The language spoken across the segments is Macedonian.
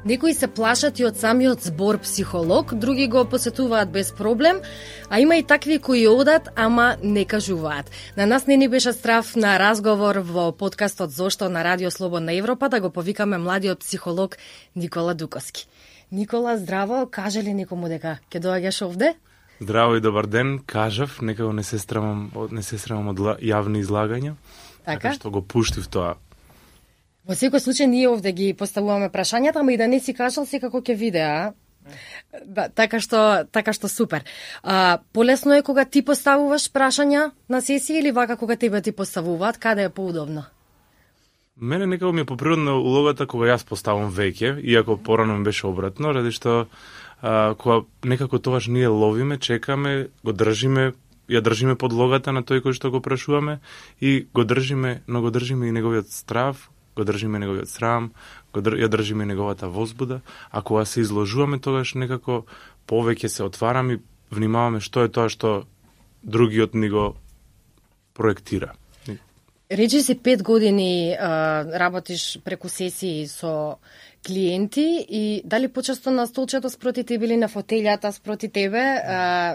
Некои се плашат и од самиот збор психолог, други го посетуваат без проблем, а има и такви кои одат, ама не кажуваат. На нас не ни беше страв на разговор во подкастот Зошто на Радио Слободна Европа да го повикаме младиот психолог Никола Дуковски. Никола, здраво, каже ли некому дека ќе доаѓаш овде? Здраво и добар ден, кажав, некако не се срамам од јавни излагања, така што го пуштив тоа. Во секој случај ние овде ги поставуваме прашањата, ама и да не си кажал секако ќе виде, а? Да, така што супер. Полесно е кога ти поставуваш прашања на сесија или вака кога тебе ти поставуваат, каде е поудобно? Мене некако ми е поприродна улогата кога јас поставам веќе, иако порано ми беше обратно, ради што кога некако тогаш ние ловиме, чекаме, го држиме, ја држиме подлогата на тој кој што го прашуваме и го држиме, но го држиме и неговиот страв, го држиме неговиот срам, ја држиме неговата возбуда, а кога се изложуваме тогаш некако повеќе се отвараме и внимаваме што е тоа што другиот ни го проектира. Речи си 5 години работиш преку сесии со клиенти и дали почесто на столчето спроти тебе или на фотелјата спроти тебе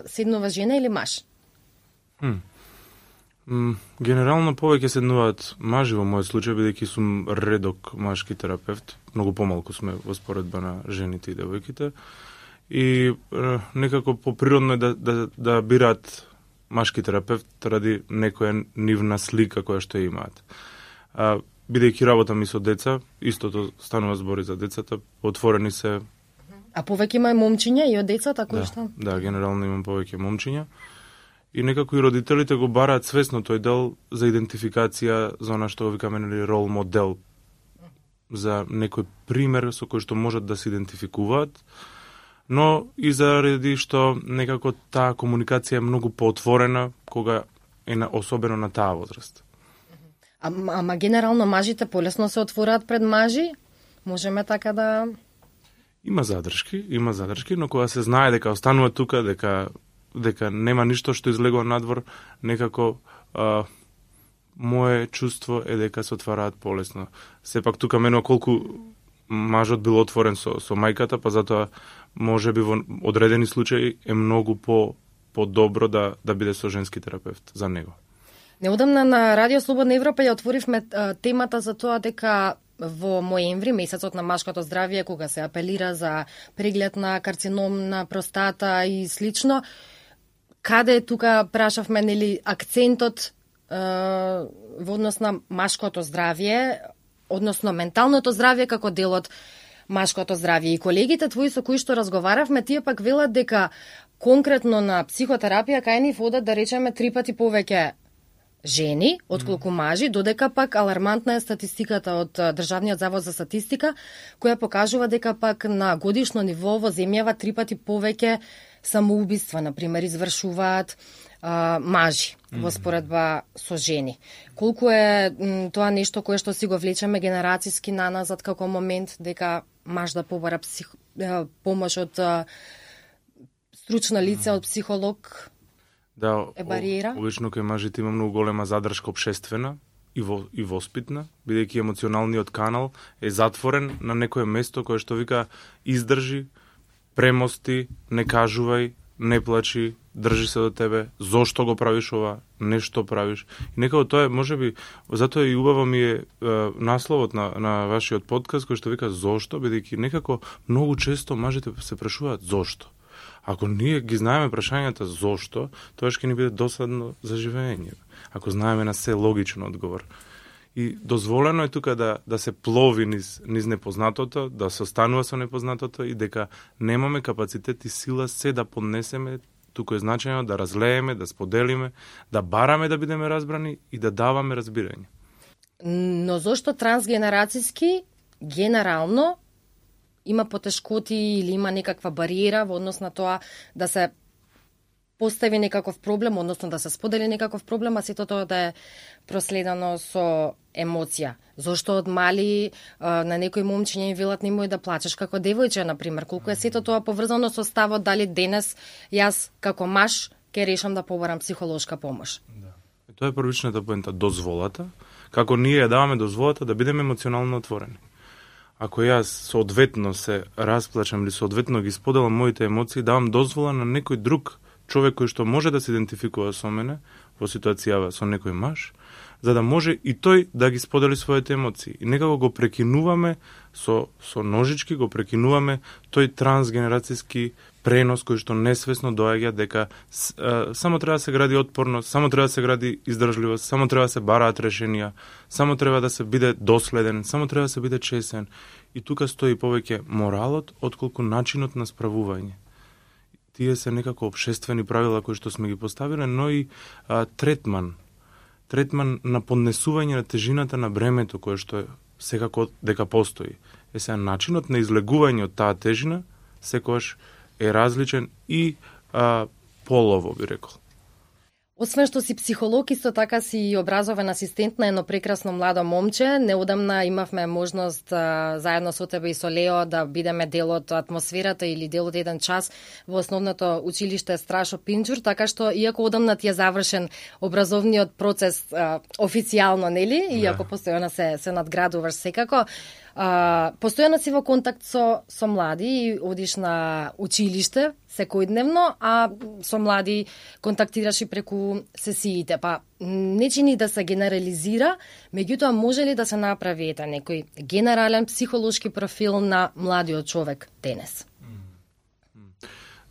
седнува жена или маж? Генерално повеќе седнуваат мажи во мојот случај, бидејќи сум редок машки терапевт, многу помалку сме во споредба на жените и девојките, и некако поприродно е да бираат машки терапевт ради некоја нивна слика која што имаат. Бидејќи работам и со деца, истото станува збори за децата, отворени се. А повеќе има момчиња и од децата кои што? Да, генерално имам повеќе момчиња. И некако и родителите го бараат свесно тој дел за идентификација, за она што го викаме рол модел, за некој пример со кој што можат да се идентификуваат, но и заради што некако таа комуникација е многу поотворена кога е особено на таа возраст. Ама генерално мажите полесно се отвораат пред мажи? Можеме така да... Има задршки, но кога се знае дека останува тука, дека нема ништо што излегува надвор, некако мое чувство е дека се отвараат полесно. Сепак тука мене колку мажот бил отворен со мајката, па затоа може би во одредени случаи е многу по-добро да биде со женски терапевт за него. Неодамна на Радио Слободна Европа ја отворивме темата за тоа дека во ноември, месецот на машкото здравје, кога се апелира за преглед на карцином на простата и слично, каде тука прашавме нели акцентот во однос на машкото здравје, односно менталното здравје како дел од машкото здравје. И колегите твои со кои што разговаравме, тие пак велат дека конкретно на психотерапија кај нив одат да речеме 3 пати повеќе жени отколку мажи, додека пак алармантна е статистиката од Државниот завод за статистика, која покажува дека пак на годишно ниво во земјава 3 пати повеќе самоубиства, например, извршуваат мажи во споредба со жени. Колку е тоа нешто кое што си го влечеме генерацијски наназад како момент дека маж да побара помош од стручно лице, од психолог? Да, е бариера? Обично кај мажите има многу голема задршка општествена и воспитна, бидејќи емоционалниот канал е затворен на некое место кое што вика издржи, премости, не кажувај, не плачи, држи се до тебе, зошто го правиш ова, нешто правиш. И некако тоа е, можеби, затоа и убаво ми е насловот на вашиот подкаст кој што вика зошто, бидејќи некако многу често мажите се прашуваат зошто. Ако ние ги знаеме прашањата зошто, тоа ќе ни биде досадно за живење. Ако знаеме на се логичен одговор. И дозволено е тука да се плови низ непознатото, да се останува со непознатото и дека немаме капацитет и сила се да поднесеме, тука е значајно да разлееме, да споделиме, да бараме да бидеме разбрани и да даваме разбирање. Но зошто трансгенерацијски генерално има потешкоти или има некаква бариера во однос на тоа да се постави некаков проблем, односно да се сподели некаков проблем, а сето тоа да е проследено со емоција. Зошто од мали на некој момчиња им велат немој да плачеш како девојче, например, колку е сето тоа поврзано со ставот дали денес јас како маж ќе решам да побарам психолошка помош. Да. Тоа е првичната поента, дозволата, како ние ја даваме дозволата да бидеме емоционално отворени. ако јас соодветно се расплачам или соодветно ги споделам моите емоции, давам дозвола на некој друг човек кој што може да се идентификува со мене во ситуацијава со некој маж, за да може и тој да ги сподели своите емоции. И некако го прекинуваме со ножички, го прекинуваме тој трансгенерацијски пренос кој што несвесно доаѓа дека само треба да се гради отпорност, само треба да се гради издржливост, само треба да се бараат решенија, само треба да се биде доследен, само треба да се биде чесен. И тука стои повеќе моралот отколку начинот на справување. Тие се некако општествени правила кои што сме ги поставиле, но и третман на поднесување на тежината на бремето кое што секако дека постои. Сега начинот на излегување од таа тежина секогаш е различен и полово, би рекол. Освен што си психолог, исто така си и образовен асистент на едно прекрасно младо момче. Неодамна имавме можност заедно со тебе и со Лео да бидеме дел од атмосферата или дел од еден час во основното училиште Страшо Пинџур, така што иако одамна ти е завршен образовниот процес официјално, нели? Иако постојано се надградуваш секако, постојано си во контакт со млади и одиш на училиште секојдневно, а со млади контактираш и преку сесиите. Па не чини да се генерализира, меѓутоа може ли да се направи некој генерален психолошки профил на младиот човек денес?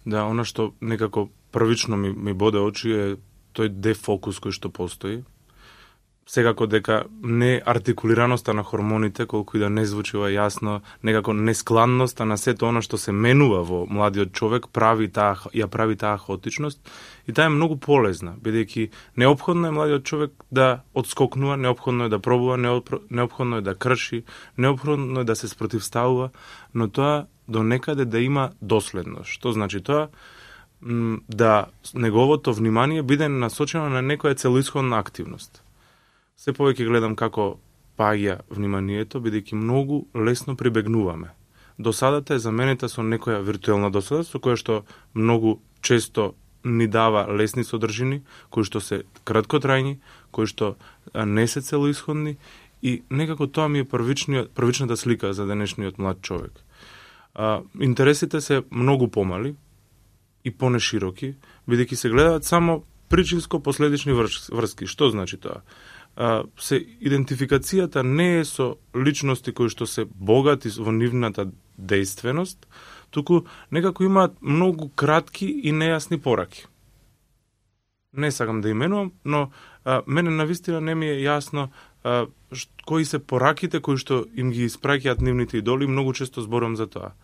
Да, она што некако првично ми боде очи е тој дефокус кој што постои. Секако дека не артикулираноста на хормоните, колку и да не звучи јасно, некако нескладноста на сето она што се менува во младиот човек прави таа хаотичност, и таа е многу полезна, бидејќи неопходно е младиот човек да одскокнува, неопходно е да пробува, неопходно е да крши, неопходно е да се спротивставува, но тоа до некаде да има доследност. Што значи тоа? Да неговото внимание биде насочено на некоја целоисходна активност. Се повеќе гледам како паѓа вниманието, бидејќи многу лесно прибегнуваме. Досадата е заменета со некоја виртуелна досада, со која што многу често ни дава лесни содржини, кои што се краткотрајни, кои што не се целоисходни, и некако тоа ми е првичната слика за денешниот млад човек. Интересите се многу помали и понешироки, бидејќи се гледаат само причинско-последични врски. Што значи тоа? Идентификацијата не е со личности кои што се богати во нивната дејственост, туку некако имаат многу кратки и нејасни пораки. Не сакам да именувам, но мене навистина не ми е јасно кои се пораките кои што им ги испраќаат нивните идоли, многу често зборувам за тоа.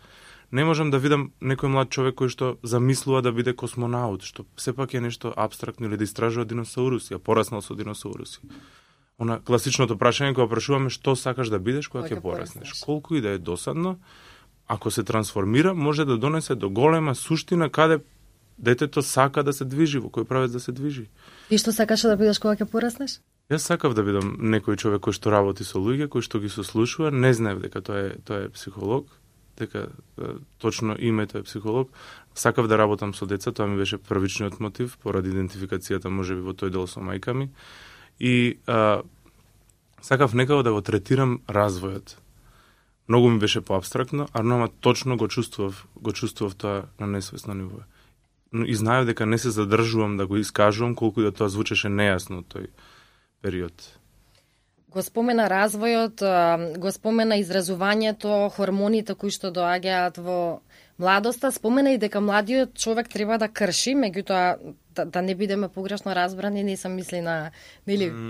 Не можам да видам некој млад човек кој што замислува да биде космонаут, што сепак е нешто апстрактно, или да истражува диносауруси, а пораснал со диносауруси. Она класичното прашање кога прашуваме што сакаш да бидеш кога ќе пораснеш. Колку и да е досадно, ако се трансформира, може да донесе до голема суштина каде детето сака да се движи, во кој правец да се движи. И што сакаш да бидеш кога ќе пораснеш? Јас сакав да бидам некој човек кој што работи со луѓе, кој што ги сослушува, не знаев дека тоа е психолог, дека точно името е психолог. Сакав да работам со деца, тоа ми беше првичниот мотив, поради идентификацијата можеби во тој дел со мајка ми. И сакав некако да го третирам развојот. Многу ми беше поабстрактно, ама точно го чувствував тоа на несвесно ниво. И знаев дека не се задржувам да го искажувам, колку и да тоа звучеше нејасно тој период. Го спомена развојот, го спомена изразувањето, хормоните кои што доаѓаат во младоста, спомена и дека младиот човек треба да крши, меѓутоа да не бидеме погрешно разбрани, не сам мисли на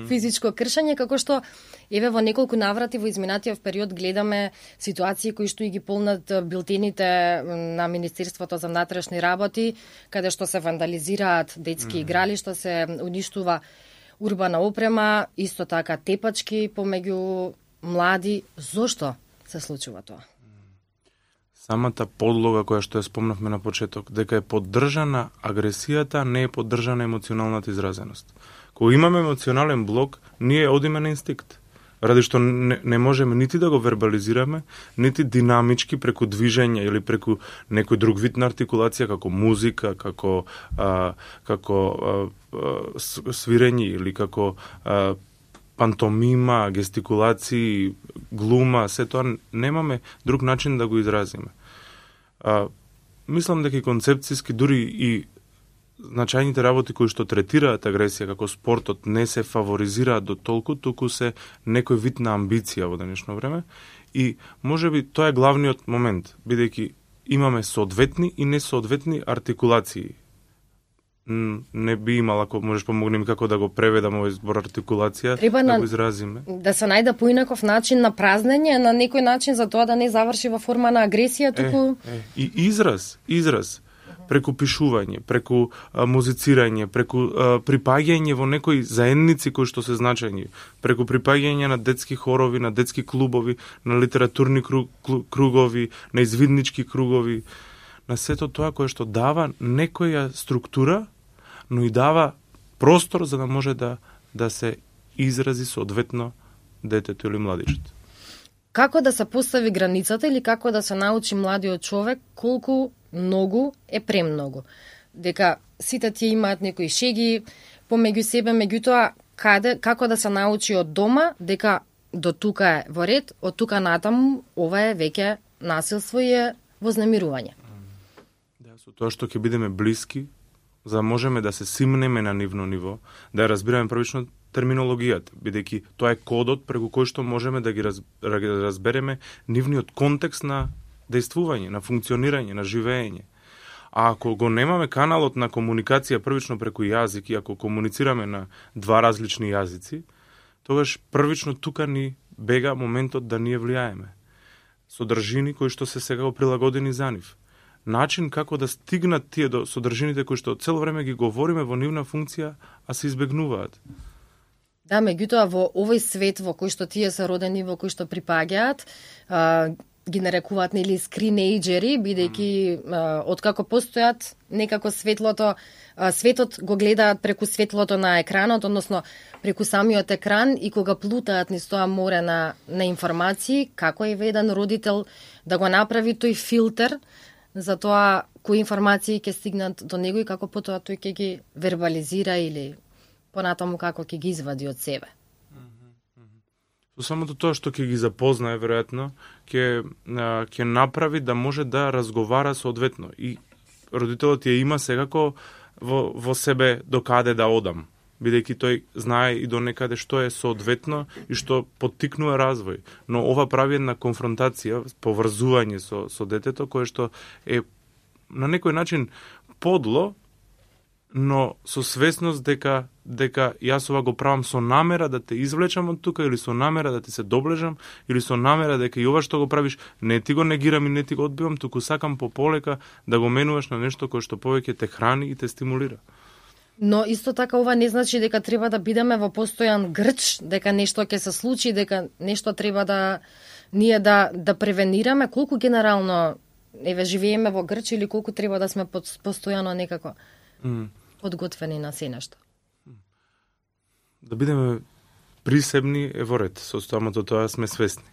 физичко кршење, како што еве во неколку наврати во изминатиот период гледаме ситуации кои што и ги полнат билтените на Министерството за внатрешни работи, каде што се вандализираат детски игралишта, се уништува урбана опрема, исто така тепачки помеѓу млади. Зошто се случува тоа? Самата подлога која што ја спомнавме на почеток, дека е поддржана агресијата, не е поддржана емоционалната изразеност. Кога имаме емоционален блок, ние одиме на инстинкт. Ради што не можеме нити да го вербализираме, нити динамички преку движење или преку некој друг вид на артикулација, како музика, како свирење или како пантомима, гестикулации, глума, се тоа немаме друг начин да го изразиме. Мислам дека концепцијски дури и значајните работи кои што третираат агресија како спортот не се фаворизираат до толку, туку се некој вид на амбиција во денешно време и можеби тоа е главниот момент, бидејќи имаме соодветни и несоодветни артикулации. Не би имал, ако можеш помогнем како да го преведам овој збор артикулација, треба да го изразиме. Да се најде поинаков начин на празнење, на некој начин за тоа да не заврши во форма на агресија, туку... И израз, преку пишување, преку музицирање, преку припаѓање во некои заедници кои што се значајни, преку припаѓање на детски хорови, на детски клубови, на литературни кругови, на извиднички кругови, на сето тоа кое што дава некоја структура, но и дава простор за да може да се изрази соодветно детето или младичот. Како да се постави границата или како да се научи младиот човек колку многу е премногу? Дека сите тие имаат некои шеги помеѓу себе, меѓутоа како да се научи од дома дека до тука е во ред, од тука натаму ова е веќе насилство и е вознемирување. Да, со тоа што ќе бидеме блиски, за да можеме да се симнеме на нивно ниво, да разбираме првично терминологијата, бидејќи тоа е кодот преку кој што можеме да ги разбереме нивниот контекст на дејствување, на функционирање, на живење. А ако го немаме каналот на комуникација првично преку јазик и ако комуницираме на два различни јазици, тогаш првично тука ни бега моментот да ние влијаеме. Содржини кои што се сега прилагодени за нив. Начин како да стигнат тие до содржините кои што цело време ги говориме во нивна функција, а се избегнуваат. Да, меѓутоа во овој свет во кој што тие се родени, во кој што припаѓаат, ги нарекуваат нели скринејџери, бидејќи откако постојат некако светот го гледаат преку светлото на екранот, односно преку самиот екран и кога плутаат низ тоа море на информации, како е еден родител да го направи тој филтер за тоа кои информации ќе стигнат до него и како потоа тој ќе ги вербализира или понатаму како ќе ги извади од себе. Со самото тоа што ќе ги запознае, веројатно, ќе направи да може да разговара соодветно. И родителот ја има секако во себе до каде да одам, бидејќи тој знае и до некаде што е соодветно и што поттикнува развој. Но ова прави една конфронтација, поврзување со детето, кое што е на некој начин подло, но со свесност дека јас ова го правам со намера да те извлечам од тука или со намера да ти се доблежам или со намера дека и ова што го правиш не ти го негирам и не ти го одбивам, туку сакам пополека да го менуваш на нешто кое што повеќе те храни и те стимулира. Но исто така ова не значи дека треба да бидеме во постојан грч, дека нешто ќе се случи, дека нешто треба да ние да превенираме, колку генерално живееме во грч или колку треба да сме постојано некако подготвени на се нешто. Да бидеме присебни е во ред, со самото тоа сме свесни.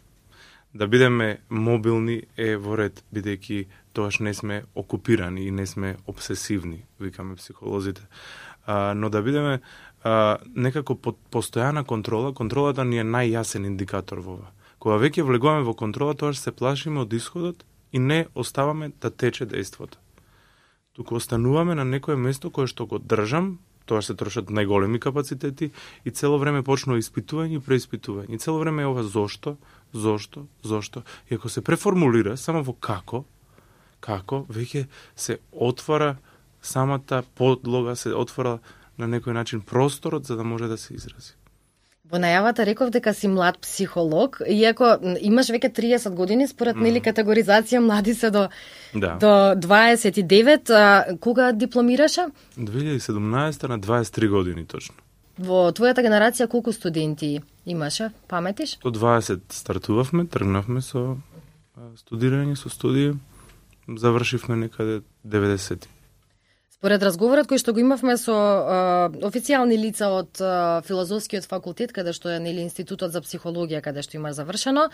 Да бидеме мобилни е во ред, бидејќи тоаш не сме окупирани и не сме обсесивни, викаме психолозите. Но да бидеме некако под постојана контрола, контролата ни е најјасен индикатор во ова. Кога веќе влегуваме во контрола, тоаш се плашиме од исходот и не оставаме да тече дејството. Туку остануваме на некое место кое што го држам, тоа се трошат најголеми капацитети и цело време почнува испитување и преиспитување. И цело време е ова зошто. И ако се преформулира само во како, веќе се отвара самата подлога, се отвора на некој начин просторот за да може да се изрази. Во најавата реков дека си млад психолог, иако имаш веќе 30 години, според нели категоризација млади се до 29, кога дипломираше? 2017 на 23 години точно. Во твојата генерација колку студенти имаше, паметиш? До 20 стартувавме, тргнавме со студирање, со студија, завршивме некаде 90. Според разговорот кој што го имавме со официјални лица од филозофскиот факултет, каде што е нели Институтот за психологија, каде што има завршено,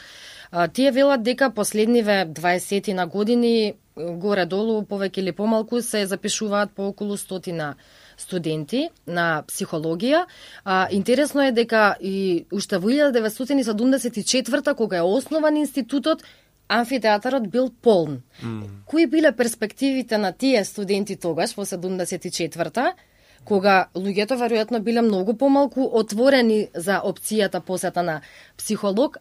тие велат дека последниве 20 на години горе-долу, повеќе или помалку, се запишуваат по околу 100 студенти на психологија. Интересно е дека и уште во 1974 кога е основан институтот, амфитеатарот бил полн. Кои биле перспективите на тие студенти тогаш, во 74-та, кога луѓето веројатно биле многу помалку отворени за опцијата посета на психолог,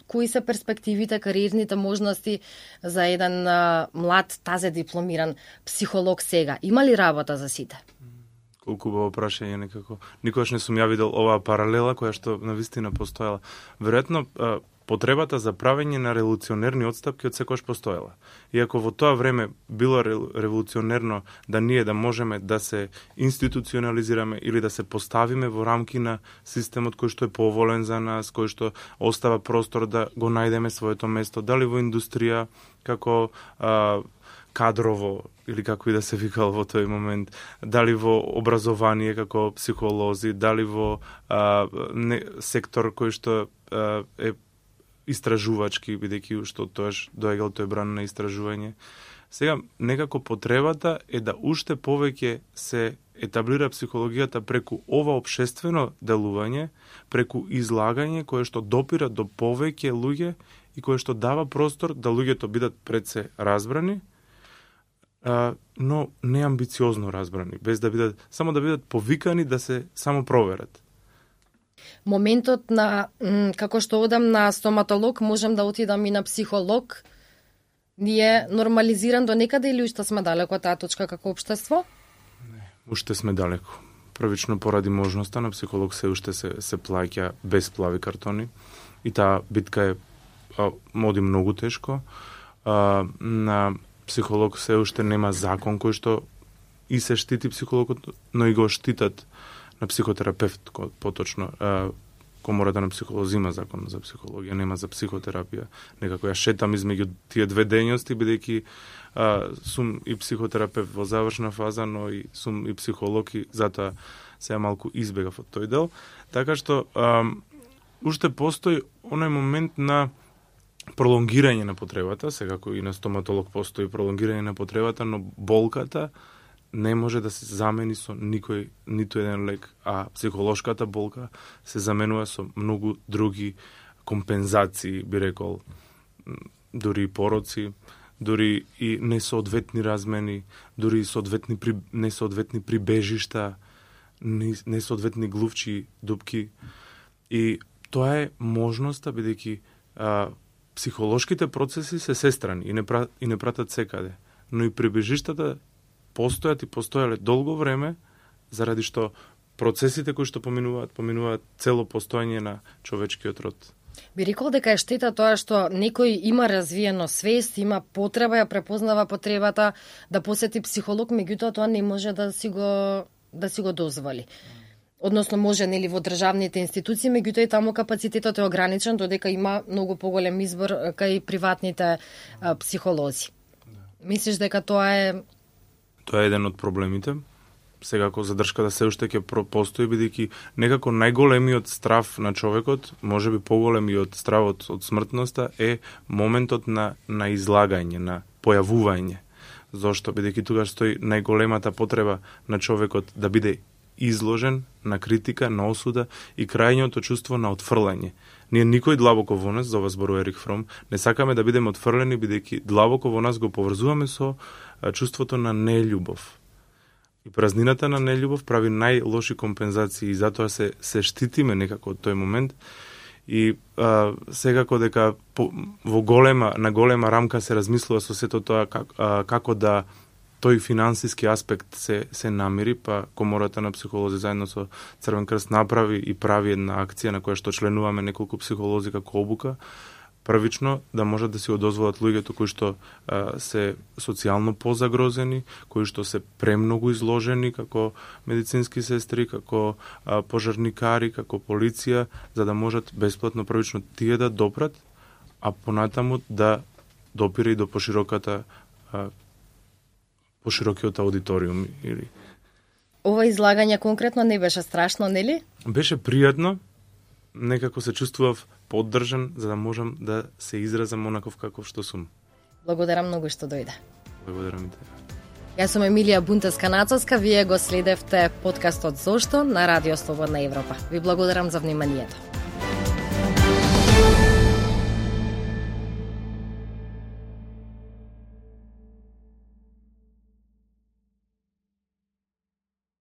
кои се перспективите, кариерните можности за еден млад, тазе дипломиран психолог сега? Има ли работа за сите? Колку убаво прашање некако. Никогаш не сум ја видел оваа паралела која што навистина постоела. Веројатно потребата за правење на револуционерни отстапки од секојаш постоела. Иако во тоа време било револуционерно да ние да можеме да се институционализираме или да се поставиме во рамки на системот кој што е поволен за нас, кој што остава простор да го најдеме своето место, дали во индустрија, како кадрово, или како и да се викал во тој момент, дали во образование како психолози, дали во сектор кој што е истражувачки, бидејќи што тоаш доаѓал тој бран на истражување. Сега, некако потребата е да уште повеќе се етаблира психологијата преку ова општествено делување, преку излагање кое што допира до повеќе луѓе и кое што дава простор да луѓето бидат пред се разбрани, но не амбициозно разбрани, без да бидат, само да бидат повикани да се само проверат. Моментот на, како што одам на стоматолог, можам да отидам и на психолог, ни е нормализиран до некаде или уште сме далеко од таа точка како општество? Не, уште сме далеко. Првично поради можноста на психолог се уште се плаќа без плави картони и таа битка е оди многу тешко. На психолог се уште нема закон кој што и се штити психологот, но и го штитат на психотерапевт, поточно. Комората на психолози има закон за психологија, нема за психотерапија. Некако ја шетам измеѓу тие две дејности, бидејќи сум и психотерапевт во завршна фаза, но и сум и психолог и затоа сега малку избегав од тој дел. Така што уште постои оној момент на пролонгирање на потребата, секако и на стоматолог постои пролонгирање на потребата, но болката не може да се замени со никој, ниту еден лек, а психолошката болка се заменува со многу други компензации, би рекол, дури и пороци, дури и несоодветни размени, дури и несоодветни прибежишта, несоодветни глувчи дупки. И тоа е можноста, бидејќи психолошките процеси се сестрани и не пратат секаде, но и прибежиштата постојат и постоеле долго време, заради што процесите кои што поминуваат цело постојање на човечкиот род. Би рекол дека е штета тоа што некој има развиено свест, има потреба, ја препознава потребата да посети психолог, меѓутоа тоа не може да си го дозволи. Односно може нели во државните институции, меѓутоа и таму капацитетот е ограничен, додека има многу поголем избор кај приватните психолози. Мислиш дека тоа е еден од проблемите. Секако задршката се уште ќе постои, бидејќи некако најголемиот страв на човекот, можеби поголем и од стравот од смртноста, е моментот на излагање, на појавување. Зошто? Бидејќи тогаш стои најголемата потреба на човекот да биде изложен на критика, на осуда и крајното чувство на отфрлање. Ние никој длабоко во нас, за ова зборува Ерих Фром, не сакаме да бидеме отфрлени, бидејќи длабоко во нас го поврзуваме со чувството на нељубов. И празнината на нељубов прави најлоши компензации и затоа се штитиме некако од тој момент. И секако дека на голема рамка се размислува со сето тоа како да тој финансиски аспект се намери, па Комората на психолози заедно со Црвен крст направи и прави една акција на која што членуваме неколку психолози како обука, првично да можат да си го дозволат луѓето кои што се социјално позагрозени, кои што се премногу изложени како медицински сестри, како пожарникари, како полиција, за да можат бесплатно првично тие да допрат, а понатаму да допира и до поширокиот аудиториум. Ова излагање конкретно не беше страшно, нели? Беше пријатно, некако се чувствував поддржан, за да можам да се изразам онаков каков што сум. Благодарам многу што дојде. Благодарам и тебе. Јас сум Емилија Бунтевска-Нацовска, вие го следевте подкастот Зошто на Радио Слободна Европа. Ви благодарам за вниманието.